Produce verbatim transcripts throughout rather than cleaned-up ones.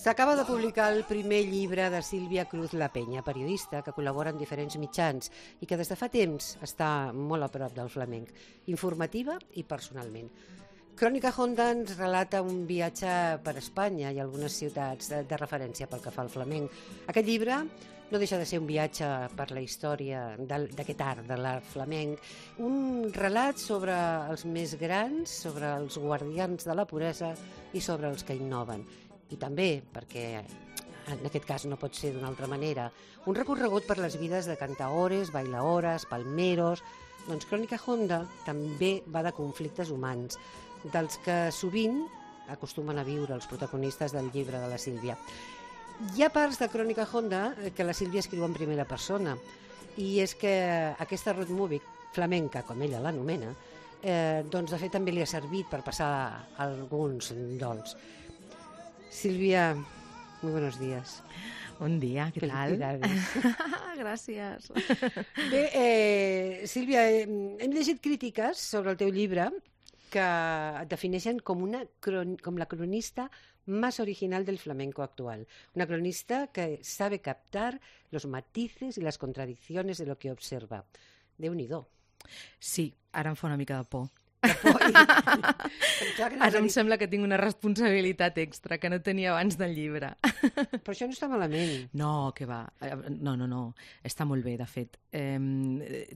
S'acaba de publicar el primer llibre de Sílvia Cruz La Peña, periodista que col·labora en diferents mitjans i que des de fa temps està molt a prop del flamenc, informativa i personalment. Crònica Honda ens relata un viatge per Espanya i algunes ciutats de, de referència pel que fa al flamenc. Aquest llibre no deixa de ser un viatge per la història d'aquest art, de l'art flamenc, un relat sobre els més grans, sobre els guardians de la puresa i sobre els que innoven. I també, perquè en aquest cas no pot ser d'una altra manera, un recorregut per les vides de cantaores, bailaores, palmeros. Doncs Crònica Honda també va de conflictes humans, dels que sovint acostumen a viure els protagonistes del llibre de la Sílvia. Hi ha parts de Crònica Honda que la Sílvia escriu en primera persona, i és que aquesta road movie flamenca, com ella l'anomena, eh, doncs de fet també li ha servit per passar alguns dols. Sílvia, muy buenos días. Buen día, ¿qué tal? Gràcies. Bé, eh, Sílvia, eh, hem llegit crítiques sobre el teu llibre que et defineixen com, una cron com la cronista más original del flamenco actual. Una cronista que sabe captar los matices y las contradicciones de lo que observa. Déu-n'hi-do. Sí, ara em fa una mica de por. De por i... Ara em sembla que tinc una responsabilitat extra que no tenia abans del llibre. Però això no està malament. No, que va. No, no, no. Està molt bé, de fet. Eh,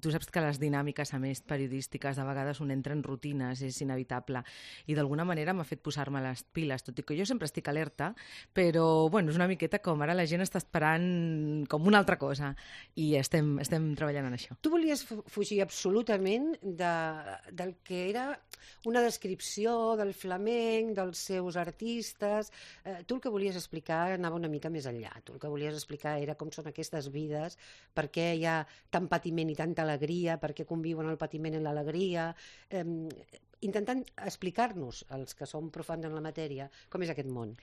tu saps que les dinàmiques, a més, periodístiques, de vegades un entra en rutines, és inevitable. I d'alguna manera m'ha fet posar-me les piles, tot i que jo sempre estic alerta, però, bueno, és una miqueta com ara la gent està esperant com una altra cosa. I estem, estem treballant en això. Tu volies fugir absolutament de, del que era una descripció del flamenc, dels seus artistes. Eh, tu el que volies explicar anava una mica més enllà. Tu el que volies explicar era com són aquestes vides, per què hi ha tant patiment i tanta alegria, per què conviuen el patiment i l'alegria, eh, intentant explicar-nos, els que som profans en la matèria, com és aquest món.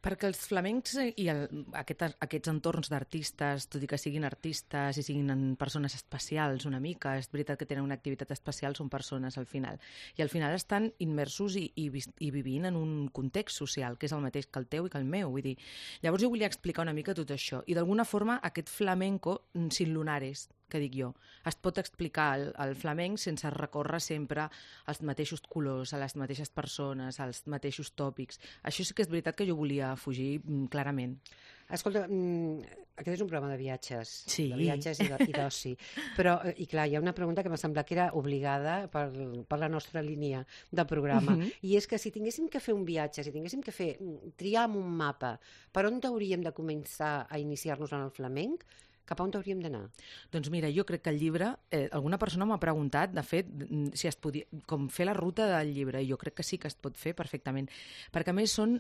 Perquè els flamencs i el, aquest, aquests entorns d'artistes, tot i que siguin artistes i siguin persones especials una mica, és veritat que tenen una activitat especial, són persones al final. I al final estan immersos i, i, i vivint en un context social, que és el mateix que el teu i que el meu. Vull dir, llavors jo volia explicar una mica tot això. I d'alguna forma aquest flamenco sin lunares, que dic jo, es pot explicar el, el flamenc sense recórrer sempre als mateixos colors, a les mateixes persones, als mateixos tòpics. Això sí que és veritat que jo volia fugir clarament. Escolta, aquest és un programa de viatges, sí. de viatges i d'oci, però, i clar, hi ha una pregunta que m'ha semblat que era obligada per, per la nostra línia de programa, uh-huh. i és que si tinguéssim que fer un viatge, si tinguéssim que fer, triar amb un mapa, per on hauríem de començar a iniciar-nos en el flamenc, cap a on hauríem d'anar? Doncs mira, jo crec que el llibre, eh, alguna persona m'ha preguntat, de fet, si es podia, com fer la ruta del llibre, i jo crec que sí que es pot fer perfectament, perquè a més són,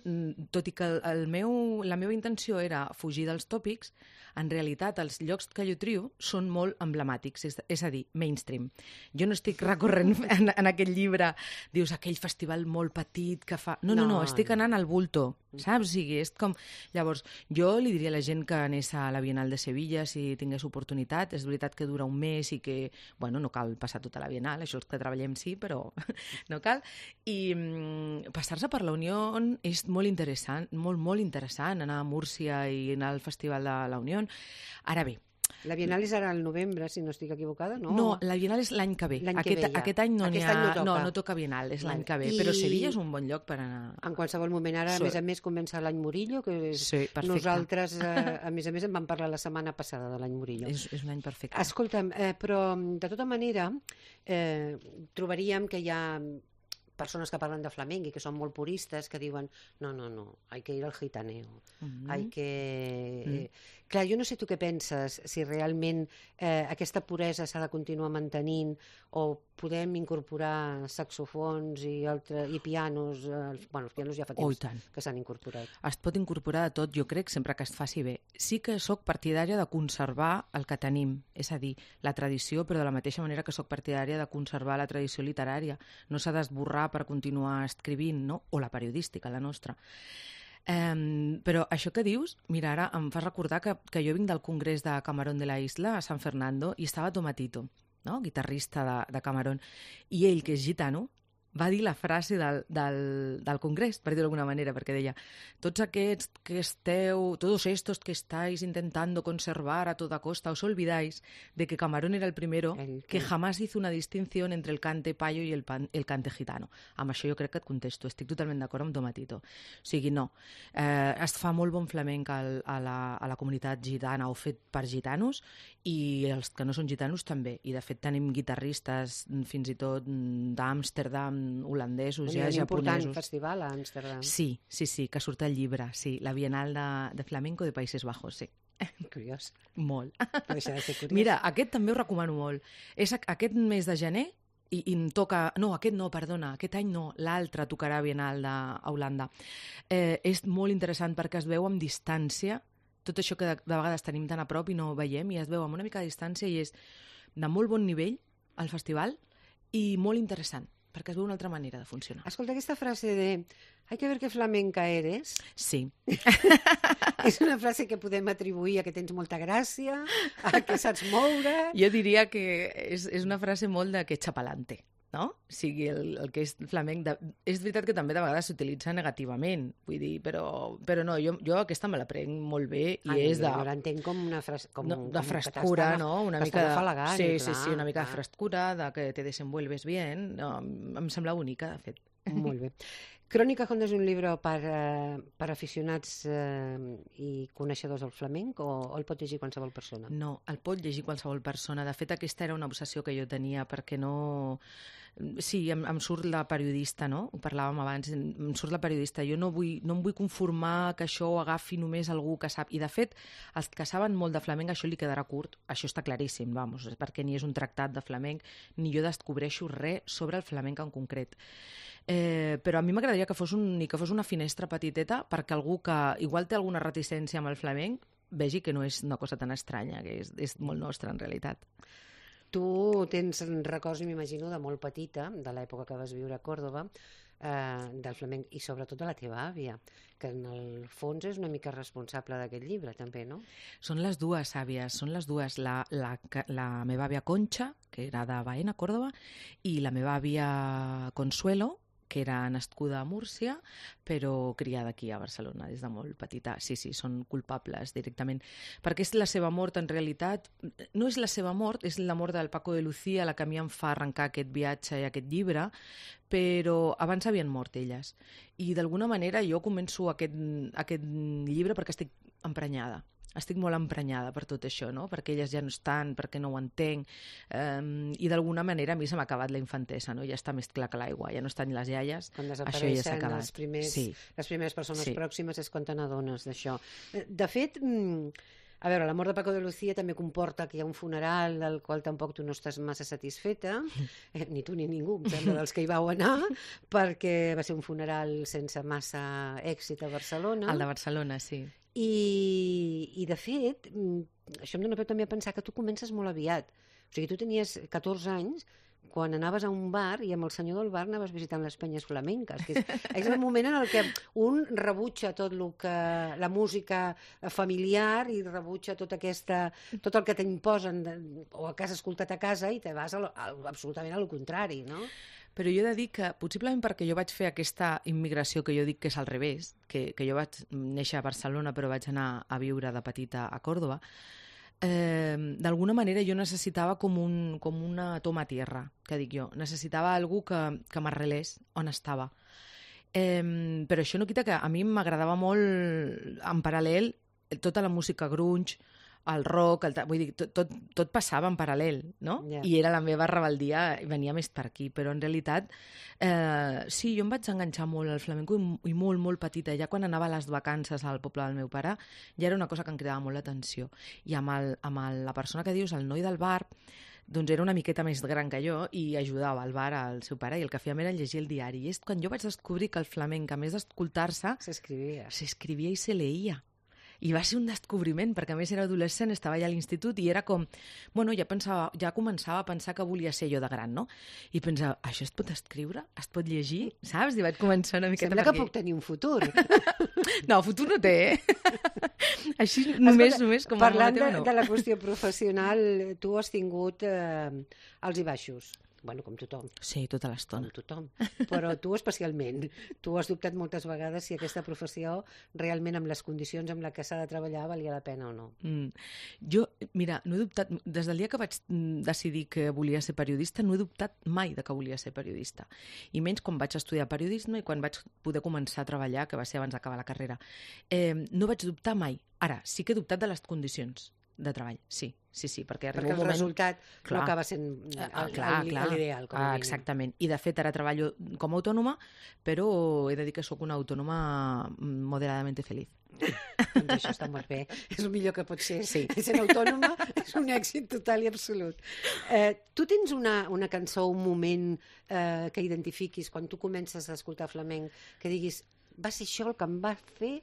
tot i que el meu, la meva intenció era fugir dels tòpics, en realitat els llocs que jo trio són molt emblemàtics, és, és a dir, mainstream. Jo no estic recorrent en, en aquest llibre, dius, aquell festival molt petit que fa... No, no, no, no estic anant al bulto, saps? O sigui, és com... Llavors, jo li diria a la gent que anés a la Bienal de Sevilla si tingués oportunitat. És veritat que dura un mes i que, bueno, no cal passar tota la Bienal, això és que treballem sí, però no cal. I mm, passar-se per la Unió és molt interessant, molt, molt interessant, anar a Múrcia i anar al Festival de la Unió. Ara bé, la Bienal és ara al novembre, si no estic equivocada, no? No, la Bienal és l'any que ve. L'any aquest, que ve ja. Aquest any no aquest n'hi ha... any no toca. No, no toca Bienal, és vale. L'any que ve. I... Però Sevilla és un bon lloc per anar... En qualsevol moment. Ara, sí. a més a més, comença l'any Murillo, que és... Sí, perfecte. Nosaltres, eh, a més a més, en vam parlar la setmana passada de l'any Murillo. És, és un any perfecte. Escolta'm, eh, però de tota manera eh, trobaríem que hi ha persones que parlen de flamenc i que són molt puristes, que diuen, no, no, no, hay que ir al gitaneo, mm-hmm. hay que... Mm. Clar, jo no sé tu què penses, si realment eh, aquesta puresa s'ha de continuar mantenint o podem incorporar saxofons i, altre, i pianos, eh, bueno, els pianos ja fa temps oh, que s'han incorporat. Es pot incorporar de tot, jo crec, sempre que es faci bé. Sí que sóc partidària de conservar el que tenim, és a dir, la tradició, però de la mateixa manera que sóc partidària de conservar la tradició literària. No s'ha d'esborrar per continuar escrivint, no? O la periodística, la nostra. Um, però això que dius, mira, ara em fas recordar que, que jo vinc del Congrés de Camarón de la Isla, a San Fernando, i estava Tomatito, no? Guitarrista de, de Camarón, i ell, que és gitano, va dir la frase del, del, del Congrés, per dir-ho d'alguna manera, perquè deia, tots aquests que esteu, todos estos que estáis intentando conservar a toda costa, os olvidáis de que Camarón era el primero el que jamás hizo una distinción entre el cante payo i el, pan, el cante gitano. Amb això jo crec que et contesto, estic totalment d'acord amb Tomatito. O sigui, no. Eh, es fa molt bon flamenc al, a, la, a la comunitat gitana o fet per gitanos i els que no són gitanos també. I de fet tenim guitarristes fins i tot d'Amsterdam, holandesos, ja japonesos. Un important festival a Amsterdam. Sí, sí, sí, que surt el llibre, sí, la Bienal de, de Flamenco de Països Bajos, sí. Curiós. Molt. No deixa de ser curiós. Mira, aquest també ho recomano molt. És aquest mes de gener i, i em toca... No, aquest no, perdona, aquest any no, l'altre tocarà Bienal de, a Holanda. Eh, és molt interessant perquè es veu amb distància tot això que de, de vegades tenim tan a prop i no veiem, i es veu amb una mica de distància i és de molt bon nivell el festival i molt interessant, perquè es veu una altra manera de funcionar. Escolta, aquesta frase de «hay que ver qué flamenca eres». Sí. És una frase que podem atribuir a que tens molta gràcia, a que saps moure... Jo diria que és, és una frase molt de que echa pa'lante, no? O sigui, el, el que és flamenc... De... És veritat que també de vegades s'utilitza negativament, vull dir, però, però no, jo, jo aquesta me la prenc molt bé i Ai, és de... Jo l'entenc com una frase... Com, no, de com frescura, no? Una mica de... Falagar, sí, clar, sí, sí, una mica clar. de frescura, de que te desenvuelves bien. No, em sembla bonica, de fet. Molt bé. Crónica Honda és un llibre per, eh, per aficionats eh, i coneixedors del flamenc o, o el pot llegir qualsevol persona? No, el pot llegir qualsevol persona. De fet, aquesta era una obsessió que jo tenia perquè no... Sí, em, em surt la periodista, no? Ho parlàvem abans, em surt la periodista. Jo no, vull, no em vull conformar que això ho agafi només algú que sap. I, de fet, els que saben molt de flamenc, això li quedarà curt. Això està claríssim, vamos, perquè ni és un tractat de flamenc, ni jo descobreixo res sobre el flamenc en concret. Eh, però a mi m'agradaria que fos, un, que fos una finestra petiteta perquè algú que igual té alguna reticència amb el flamenc vegi que no és una cosa tan estranya, que és, és molt nostra en realitat. Tu tens records, m'imagino, de molt petita, de l'època que vas viure a Còrdova, eh, del flamenc i sobretot de la teva àvia, que en el fons és una mica responsable d'aquest llibre, també, no? Són les dues àvies, són les dues. La, la, la meva àvia Concha, que era de Baena, Còrdova, i la meva àvia Consuelo, que era nascuda a Múrcia, però criada aquí a Barcelona des de molt petita. Sí, sí, són culpables directament. Perquè és la seva mort, en realitat, no és la seva mort, és la mort del Paco de Lucía la que a mi em fa arrencar aquest viatge i aquest llibre, però abans havien mort elles. I d'alguna manera jo començo aquest, aquest llibre perquè estic emprenyada. Estic molt emprenyada per tot això, no? Perquè elles ja no estan, perquè no ho entenc, um, i d'alguna manera a mi se m'ha acabat la infantesa, no? Ja està més clar que l'aigua, ja no estan les iaies, quan això ja s'ha acabat. Els primers, sí. Les primeres persones sí. pròximes és quan te n'adones d'això. De fet, a veure, la mort de Paco de Lucía també comporta que hi ha un funeral del qual tampoc tu no estàs massa satisfeta, eh, ni tu ni ningú, em sembla, dels que hi vau anar, perquè va ser un funeral sense massa èxit a Barcelona. El de Barcelona, sí. I, i de fet, això em dona peu també a pensar que tu comences molt aviat. O sigui, tu tenies catorze anys quan anaves a un bar i amb el senyor del bar anaves visitant les penyes flamenques. Que és, és el moment en el que un rebutja tot el que, la música familiar i rebutja tot, aquesta, tot el que t'imposen o el que has escoltat a casa i te vas a, a, absolutament al contrari, no? Però jo he de dir que, possiblement perquè jo vaig fer aquesta immigració que jo dic que és al revés, que, que jo vaig néixer a Barcelona però vaig anar a viure de petita a Còrdova, eh, d'alguna manera jo necessitava com, un, com una toma a tierra, que dic jo. Necessitava algú que, que m'arrelés on estava. Eh, però això no quita que a mi m'agradava molt, en paral·lel, tota la música grunge, el rock, el, vull dir, tot, tot, tot passava en paral·lel, no? Yeah. I era la meva rebeldia, venia més per aquí, però en realitat eh, sí, jo em vaig enganxar molt al flamenco i, i molt, molt petita. Ja quan anava a les vacances al poble del meu pare, ja era una cosa que em cridava molt l'atenció. I amb, el, amb el, la persona que dius, el noi del bar, doncs era una miqueta més gran que jo i ajudava al bar al seu pare i el que fèiem era llegir el diari. I és quan jo vaig descobrir que el flamenc, a més d'escoltar-se, s'escrivia. S'escrivia i se leïa. I va ser un descobriment, perquè a més era adolescent, estava allà a l'institut i era com... Bueno, ja, pensava, ja començava a pensar que volia ser jo de gran, no? I pensava, això es pot escriure? Es pot llegir? Saps? I vaig començar una miqueta... Sembla perquè... que puc tenir un futur. No, futur no té, eh? Així només, Escolta, només com parlant a de, no. de la qüestió professional, tu has tingut eh, alts i baixos. bueno, com tothom. Sí, tota l'estona. Com tothom. Però tu especialment. Tu has dubtat moltes vegades si aquesta professió realment amb les condicions amb les que s'ha de treballar valia la pena o no. Mm. Jo, mira, no he dubtat, des del dia que vaig decidir que volia ser periodista, no he dubtat mai de que volia ser periodista. I menys quan vaig estudiar periodisme i quan vaig poder començar a treballar, que va ser abans d'acabar la carrera. Eh, no vaig dubtar mai. Ara, sí que he dubtat de les condicions de treball, sí, sí, sí, perquè arriba perquè un el moment... resultat clar, no acaba sent ah, clar, clar. l'ideal. Com ah, exactament, i de fet ara treballo com a autònoma, però he de dir que sóc una autònoma moderadament feliç. Doncs això està molt bé, és el millor que pot ser. Sí. Sent autònoma és un èxit total i absolut. Eh, tu tens una, una cançó, un moment eh, que identifiquis quan tu comences a escoltar flamenc, que diguis, va ser això el que em va fer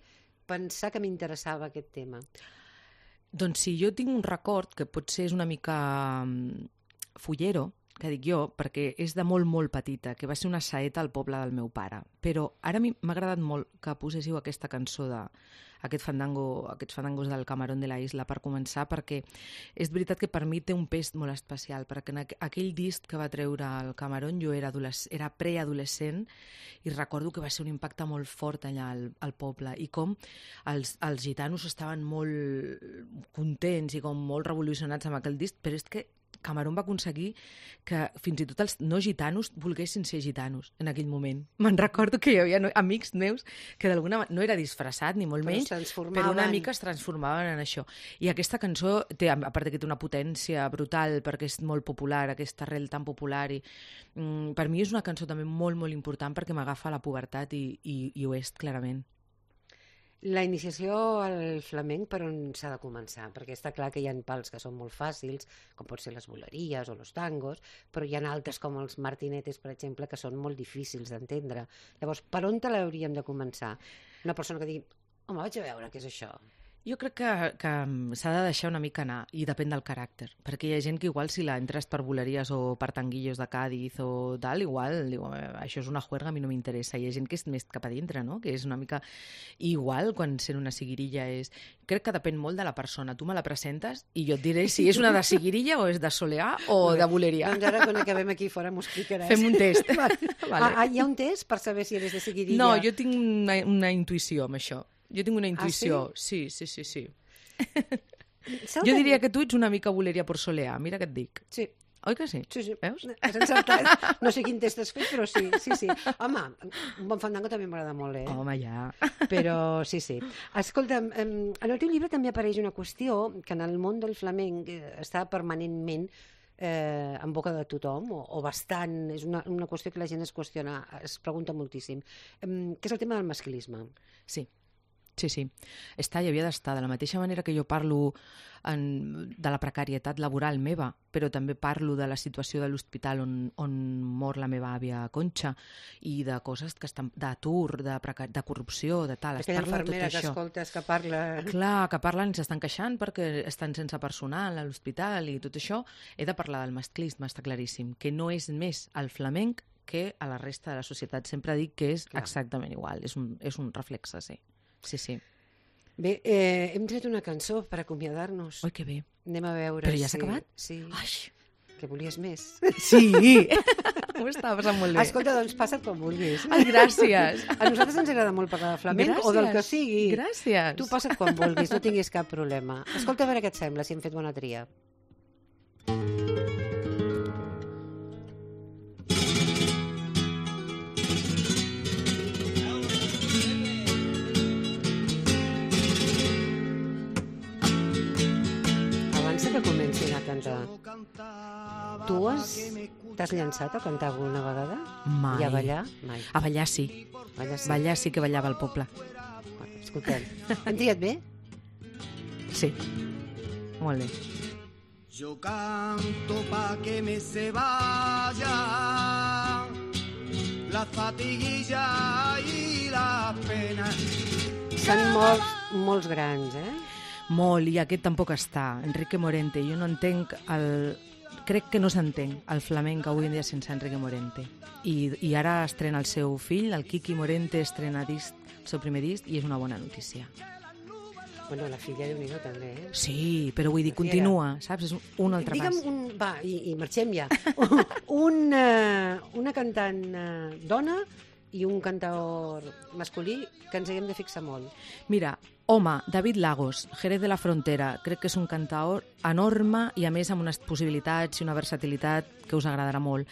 pensar que m'interessava aquest tema? Doncs sí, jo tinc un record que potser és una mica fullero, que dic jo, perquè és de molt, molt petita, que va ser una saeta al poble del meu pare. Però ara a mi m'ha agradat molt que poséssiu aquesta cançó de aquest fandango, aquests fandangos del Camarón de la Isla per començar, perquè és veritat que per mi té un pes molt especial, perquè en aquell disc que va treure el Camarón jo era, era preadolescent i recordo que va ser un impacte molt fort allà al, al poble i com els, els gitanos estaven molt contents i com molt revolucionats amb aquell disc, però és que Camarón va aconseguir que fins i tot els no gitanos volguessin ser gitanos en aquell moment. Me'n recordo que hi havia amics meus que d'alguna manera, no era disfressat ni molt però menys, però una mica es transformaven en això. I aquesta cançó, té, a part que té una potència brutal perquè és molt popular, aquesta arrel tan popular, i mm, per mi és una cançó també molt, molt important perquè m'agafa a la pubertat i, i, i ho és clarament. La iniciació al flamenc per on s'ha de començar? Perquè està clar que hi ha pals que són molt fàcils, com pot ser les boleries o els tangos, però hi ha altres com els martinetes, per exemple, que són molt difícils d'entendre. Llavors, per on te l'hauríem de començar? Una persona que digui, home, vaig a veure què és això. Jo crec que, que s'ha de deixar una mica anar, i depèn del caràcter, perquè hi ha gent que igual si la entres per boleries o per tanguillos de Cádiz o tal, igual, diu, això és una juerga, a mi no m'interessa. Hi ha gent que és més cap a dintre, no? Que és una mica igual quan sent una seguirilla és... Crec que depèn molt de la persona. Tu me la presentes i jo et diré si és una de seguirilla o és de soleà o de boleria. Doncs ara quan acabem aquí fora m'ho explicaràs. Fem un test. Vale. Vale. Ah, hi ha un test per saber si eres de seguirilla? No, jo tinc una, una intuïció amb això. Jo tinc una intuïció, ah, sí? sí, sí, sí, sí. Jo de... diria que tu ets una mica boleria por soleà, mira què et dic. Sí. Oi que sí? Sí, sí. Veus? Has encertat. No sé quin test has fet, però sí, sí, sí. Home, un bon fandango també m'agrada molt, eh? Home, ja. Però sí, sí. Escolta, en el teu llibre també apareix una qüestió que en el món del flamenc està permanentment eh, en boca de tothom, o, o bastant, és una, una qüestió que la gent es qüestiona, es pregunta moltíssim, eh, que és el tema del masclisme. Sí. Sí, sí. Està i havia d'estar. De la mateixa manera que jo parlo en, de la precarietat laboral meva, però també parlo de la situació de l'hospital on, on mor la meva àvia Conxa i de coses que estan d'atur, de, precar... de corrupció, de tal. Aquella infermera que escoltes que parla... Clar, que parlen i s'estan queixant perquè estan sense personal a l'hospital i tot això. He de parlar del masclisme, està claríssim, que no és més el flamenc que a la resta de la societat. Sempre dic que és Clar. exactament igual, és un, és un reflexe, sí. Sí, sí. Bé, eh, hem tret una cançó per acomiadar-nos. Oi, que bé. Anem a veure. Però ja s'ha si... acabat? Sí. Ai. Que volies més. Sí. Ho estava passant molt bé. Escolta, doncs passa't com vulguis. Ai, gràcies. A nosaltres ens agrada molt parlar de flamenc gràcies. O del que sigui. Gràcies. Tu passa't com vulguis, no tinguis cap problema. Escolta, a veure què et sembla, si hem fet bona tria. Que comencin a cantar. Tu has t'has llançat a cantar alguna vegada? Mai. I a ballar? Mai. A ballar sí. Ballar sí. Ballar sí que ballava al poble. Bueno, escoltem. Hem triat bé? Sí. Molt bé. Yo canto pa que me se vaya la fatiguilla y la pena. Són molts, molts grans, eh? Molt, i aquest tampoc està. Enrique Morente, jo no entenc el... Crec que no s'entén el flamenc avui en dia sense Enrique Morente. I, i ara estrena el seu fill, el Quiqui Morente, estrena disc, el seu primer disc, i és una bona notícia. Bueno, la filla de Déu-n'hi-do també, eh? Sí, però vull dir, La filla continua, saps? És un altre Digue'm pas. un... Va, i, i marxem ja. un, uh, una cantant uh, dona i un cantaor masculí que ens haguem de fixar molt. Mira, home, David Lagos, Jerez de la Frontera, crec que és un cantaor enorme i a més amb unes possibilitats i una versatilitat que us agradarà molt.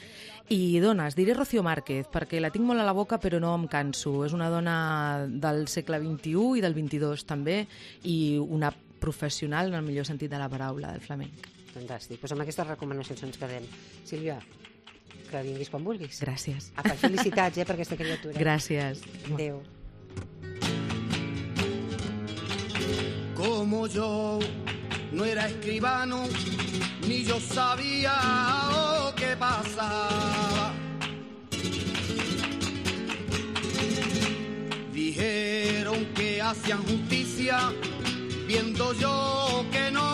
I dones, diré Rocío Márquez, perquè la tinc molt a la boca però no em canso. És una dona del segle vint-i-u i del vint-i-dos també, i una professional en el millor sentit de la paraula del flamenc. Fantàstic. Pues amb aquestes recomanacions ens quedem. Sílvia, que vinguis quan vulguis. Gràcies. Apa, felicitats, eh, per aquesta criatura. Gràcies. Adéu. Como yo no era escribano, ni yo sabía lo que pasaba. Dijeron que hacían justicia, viendo yo que no